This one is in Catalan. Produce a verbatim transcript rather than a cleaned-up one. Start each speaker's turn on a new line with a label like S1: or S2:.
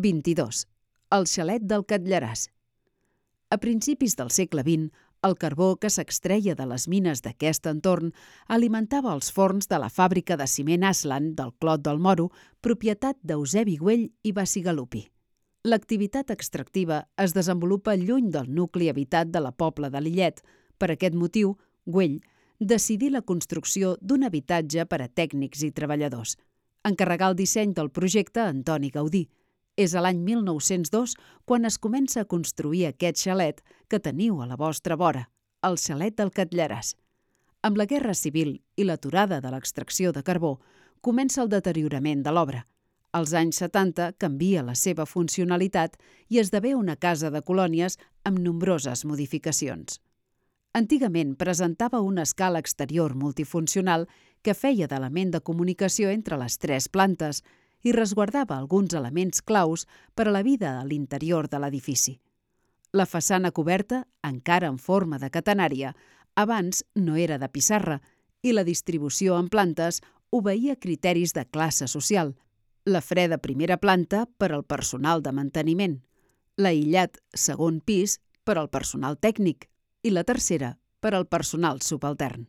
S1: vint-i-dos. El xalet del Catllaràs. A principis del segle vint, el carbó que s'extreia de les mines d'aquest entorn alimentava els forns de la fàbrica de ciment Aslan del Clot del Moro, propietat d'Eusebi Güell i Bacigalupi. L'activitat extractiva es desenvolupa lluny del nucli habitat de la Pobla de Lillet. Per aquest motiu, Güell decidí la construcció d'un habitatge per a tècnics i treballadors. Encarregà el disseny del projecte a Antoni Gaudí. És a l'any mil nou-cents dos quan es comença a construir aquest xalet que teniu a la vostra vora, el xalet del Catllaràs. Amb la Guerra Civil i l'aturada de l'extracció de carbó, comença el deteriorament de l'obra. Als anys setanta canvia la seva funcionalitat i esdevé una casa de colònies amb nombroses modificacions. Antigament presentava una escala exterior multifuncional que feia d'element de comunicació entre les tres plantes i resguardava alguns elements claus per a la vida a l'interior de l'edifici. La façana coberta, encara en forma de catenària, abans no era de pissarra i la distribució en plantes obeïa criteris de classe social. La freda primera planta per al personal de manteniment, l'aïllat segon pis per al personal tècnic i la tercera per al personal subaltern.